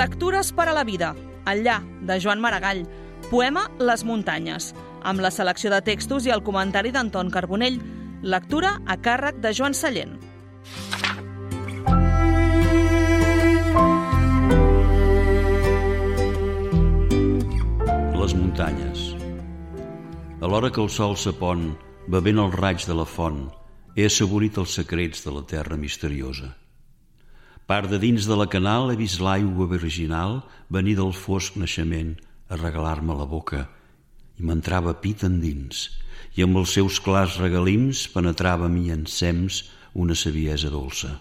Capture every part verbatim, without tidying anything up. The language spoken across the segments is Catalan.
Lectures per a la vida, Enllà, de Joan Maragall, poema Les muntanyes, amb la selecció de textos i el comentari d'Anton Carbonell, lectura a càrrec de Joan Sallent. Les muntanyes. A l'hora que el sol s'apon, bevent el raig de la font, he assaborit els secrets de la terra misteriosa. Part de dins de la canal he vist l'aigua virginal venir del fosc naixement a regalar-me la boca i m'entrava pit endins i amb els seus clars regalims penetrava a mi ensems una saviesa dolça.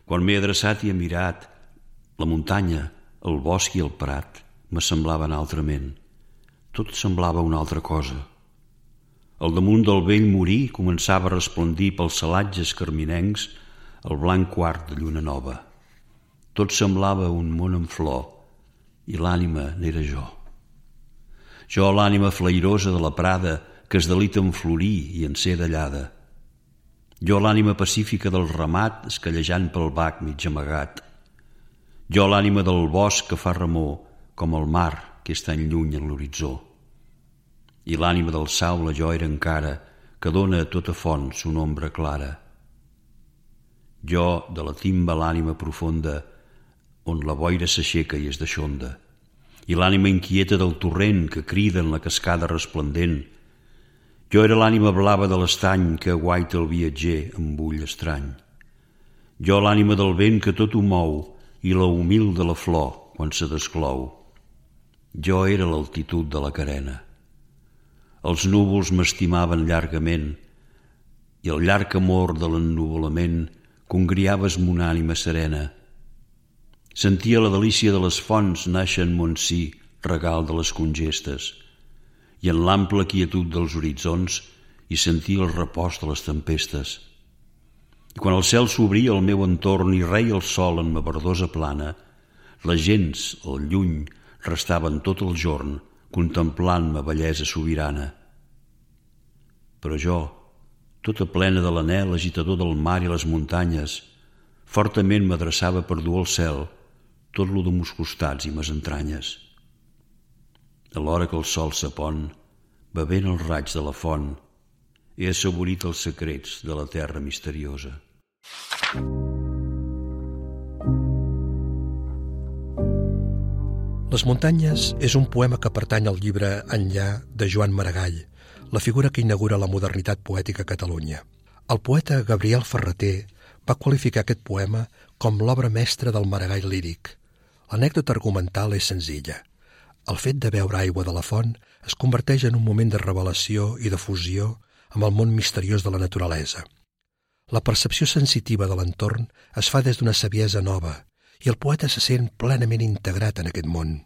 Quan m'he adreçat i he mirat, la muntanya, el bosc i el prat m'assemblaven altrament. Tot semblava una altra cosa. Al damunt del vell morí començava a resplendir pels celatges carminencs el blanc quart de lluna nova. Tot semblava un món en flor i l'ànima n'era jo. Jo, l'ànima flairosa de la prada que es delita en florir i en ser dallada. Jo, l'ànima pacífica del ramat escallejant pel bac mig amagat. Jo, l'ànima del bosc que fa remor com el mar que és tan lluny en l'horitzó. I l'ànima del saule jo era encara que dóna a tota font son ombra clara. Jo, de la timba l'ànima profunda, on la boira s'aixeca i es deixonda, i l'ànima inquieta del torrent que crida en la cascada resplendent. Jo era l'ànima blava de l'estany que aguaita el viatger amb ull estrany. Jo, l'ànima del vent que tot ho mou i la humil de la flor quan se desclou. Jo era l'altitud de la carena. Els núvols m'estimaven llargament i el llarg amor de l'ennuvolament congriaves mon ànima serena. Sentia la delícia de les fonts nàixer en mon si, regal de les congestes, i en l'ample quietud dels horitzons hi sentia el repòs de les tempestes. I quan el cel s'obria al meu entorn i reia el sol en ma verdosa plana, les gents, al lluny, restaven tot el jorn contemplant ma bellesa sobirana. Però jo, tota plena de l'anhel agitador del mar i les muntanyes, fortament m'adreçava per dur al cel tot lo de mos costats i mes entranyes. A l'hora que el sol s'apon, bevent el raig de la font, he assaborit els secrets de la terra misteriosa. Les muntanyes és un poema que pertany al llibre Enllà de Joan Maragall, la figura que inaugura la modernitat poètica a Catalunya. El poeta Gabriel Ferrater va qualificar aquest poema com l'obra mestra del Maragall líric. L'anècdota argumental és senzilla. El fet de beure aigua de la font es converteix en un moment de revelació i de fusió amb el món misteriós de la naturalesa. La percepció sensitiva de l'entorn es fa des d'una saviesa nova i el poeta se sent plenament integrat en aquest món.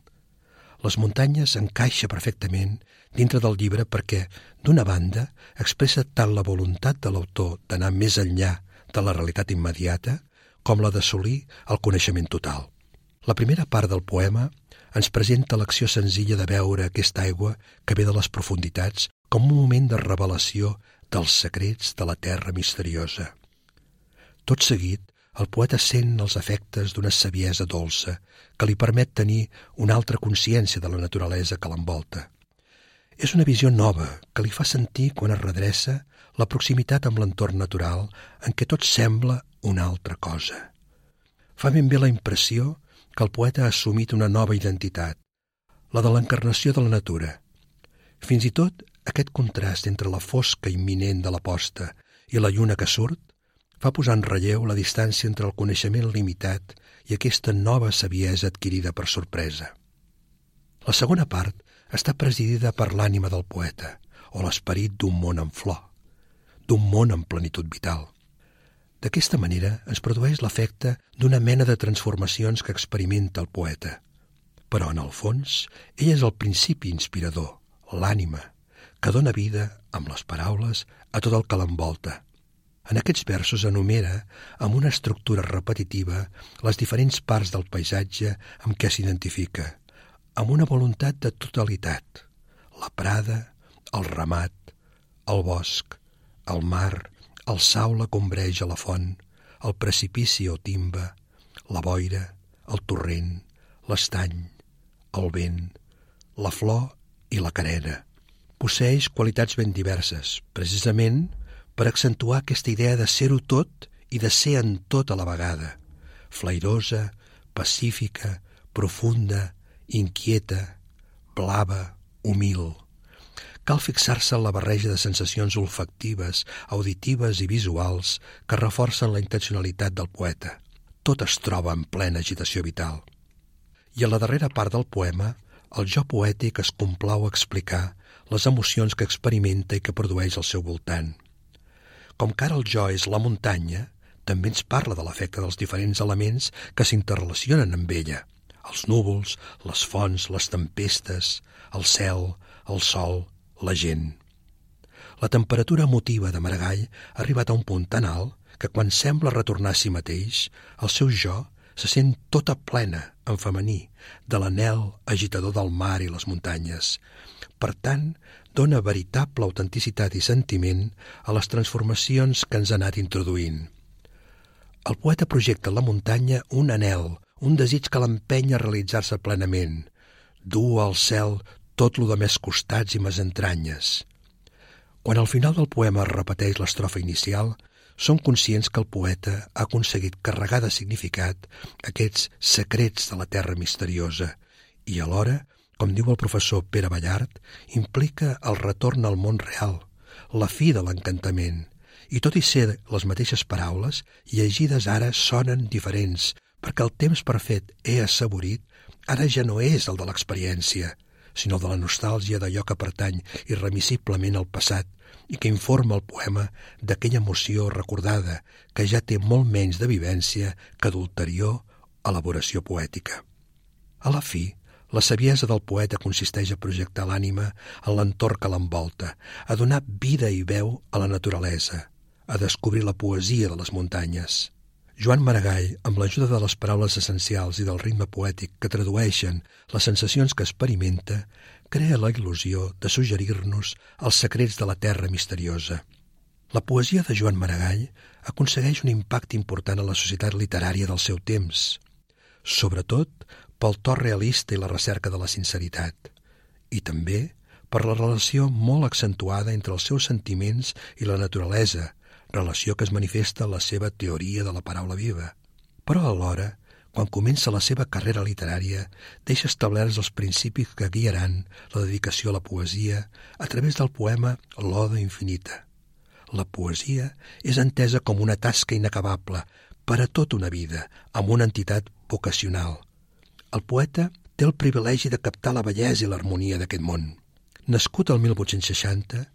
Les muntanyes encaixa perfectament dintre del llibre perquè, d'una banda, expressa tant la voluntat de l'autor d'anar més enllà de la realitat immediata com la d'assolir el coneixement total. La primera part del poema ens presenta l'acció senzilla de veure aquesta aigua que ve de les profunditats com un moment de revelació dels secrets de la terra misteriosa. Tot seguit, el poeta sent els efectes d'una saviesa dolça que li permet tenir una altra consciència de la naturalesa que l'envolta. És una visió nova que li fa sentir quan es redreça la proximitat amb l'entorn natural en què tot sembla una altra cosa. Fa ben bé la impressió que el poeta ha assumit una nova identitat, la de l'encarnació de la natura. Fins i tot aquest contrast entre la fosca imminent de la posta i la lluna que surt fa posar en relleu la distància entre el coneixement limitat i aquesta nova saviesa adquirida per sorpresa. La segona part està presidida per l'ànima del poeta, o l'esperit d'un món en flor, d'un món en plenitud vital. D'aquesta manera es produeix l'efecte d'una mena de transformacions que experimenta el poeta. Però, en el fons, ell és el principi inspirador, l'ànima, que dóna vida, amb les paraules, a tot el que l'envolta. En aquests versos enumera, amb una estructura repetitiva, les diferents parts del paisatge amb què s'identifica, amb una voluntat de totalitat: la prada, el ramat, el bosc, el mar, el saule que ombreja la font, el precipici o timba, la boira, el torrent, l'estany, el vent, la flor i la carena. Posseeix qualitats ben diverses, precisament per accentuar aquesta idea de ser-ho tot i de ser en tot a la vegada, flairosa, pacífica, profunda, inquieta, blava, humil. Cal fixar-se en la barreja de sensacions olfactives, auditives i visuals que reforcen la intencionalitat del poeta. Tot es troba en plena agitació vital. I a la darrera part del poema, el jo poètic es complau a explicar les emocions que experimenta i que produeix al seu voltant. Com que ara el jo és la muntanya, també ens parla de l'efecte dels diferents elements que s'interrelacionen amb ella. Els núvols, les fonts, les tempestes, el cel, el sol, la gent. La temperatura emotiva de Maragall ha arribat a un punt tan alt que quan sembla retornar a si mateix, el seu jo se sent tota plena, en femení, de l'anhel agitador del mar i les muntanyes. Per tant, dona veritable autenticitat i sentiment a les transformacions que ens ha anat introduint. El poeta projecta en la muntanya un anhel, un desig que l'empeny a realitzar-se plenament, dur al cel tot lo de més costats i més entranyes. Quan al final del poema es repeteix l'estrofa inicial, som conscients que el poeta ha aconseguit carregar de significat aquests secrets de la terra misteriosa i alhora, com diu el professor Pere Ballart, implica el retorn al món real, la fi de l'encantament, i tot i ser les mateixes paraules, llegides ara sonen diferents, perquè el temps perfet he assaborit ara ja no és el de l'experiència, sinó de la nostàlgia d'allò que pertany irremissiblement al passat i que informa el poema d'aquella emoció recordada que ja té molt menys de vivència que d'ulterior elaboració poètica. A la fi, la saviesa del poeta consisteix a projectar l'ànima en l'entorn que l'envolta, a donar vida i veu a la naturalesa, a descobrir la poesia de les muntanyes. Joan Maragall, amb l'ajuda de les paraules essencials i del ritme poètic que tradueixen les sensacions que experimenta, crea la il·lusió de suggerir-nos els secrets de la terra misteriosa. La poesia de Joan Maragall aconsegueix un impacte important a la societat literària del seu temps, sobretot pel to realista i la recerca de la sinceritat, i també per la relació molt accentuada entre els seus sentiments i la naturalesa, relació que es manifesta en la seva teoria de la paraula viva. Però alhora, quan comença la seva carrera literària, deixa establerts els principis que guiaran la dedicació a la poesia a través del poema L'Oda Infinita. La poesia és entesa com una tasca inacabable per a tota una vida, amb una entitat vocacional. El poeta té el privilegi de captar la bellesa i l'harmonia d'aquest món. Nascut el mil vuit-cents seixanta,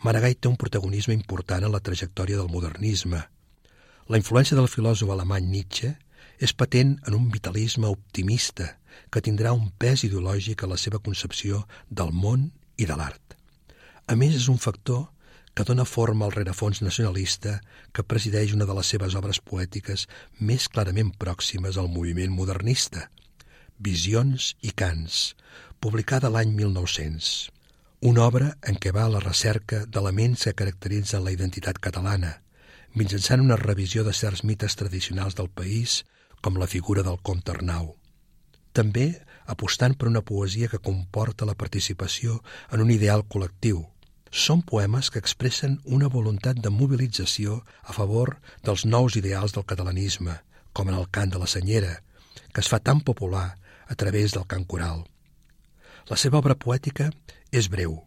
Maragall té un protagonisme important en la trajectòria del modernisme. La influència del filòsof alemany Nietzsche és patent en un vitalisme optimista que tindrà un pes ideològic a la seva concepció del món i de l'art. A més, és un factor que dona forma al rerefons nacionalista que presideix una de les seves obres poètiques més clarament pròximes al moviment modernista, Visions i cants, publicada l'any mil nou-cents. Una obra en què va a la recerca d'elements que caracteritzen la identitat catalana, mitjançant una revisió de certs mites tradicionals del país, com la figura del comte Arnau. També apostant per una poesia que comporta la participació en un ideal col·lectiu. Són poemes que expressen una voluntat de mobilització a favor dels nous ideals del catalanisme, com en el cant de la Senyera, que es fa tan popular a través del cant coral. La seva obra poètica és breu,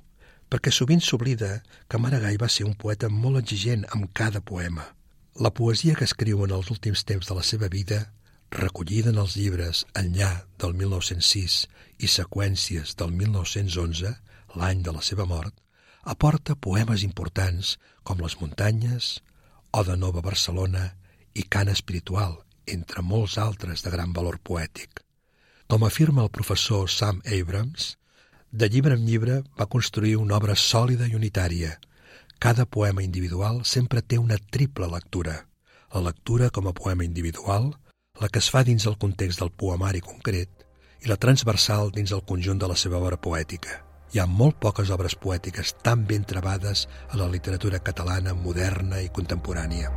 perquè sovint s'oblida que Maragall va ser un poeta molt exigent amb cada poema. La poesia que escriu en els últims temps de la seva vida, recollida en els llibres Enllà del mil nou-cents sis i Seqüències del mil nou-cents onze, l'any de la seva mort, aporta poemes importants com Les muntanyes, Oda nova Barcelona i Cant espiritual, entre molts altres de gran valor poètic. Com afirma el professor Sam Abrams, de llibre en llibre va construir una obra sòlida i unitària. Cada poema individual sempre té una triple lectura. La lectura com a poema individual, la que es fa dins el context del poemari concret i la transversal dins el conjunt de la seva obra poètica. Hi ha molt poques obres poètiques tan ben trebades a la literatura catalana moderna i contemporània.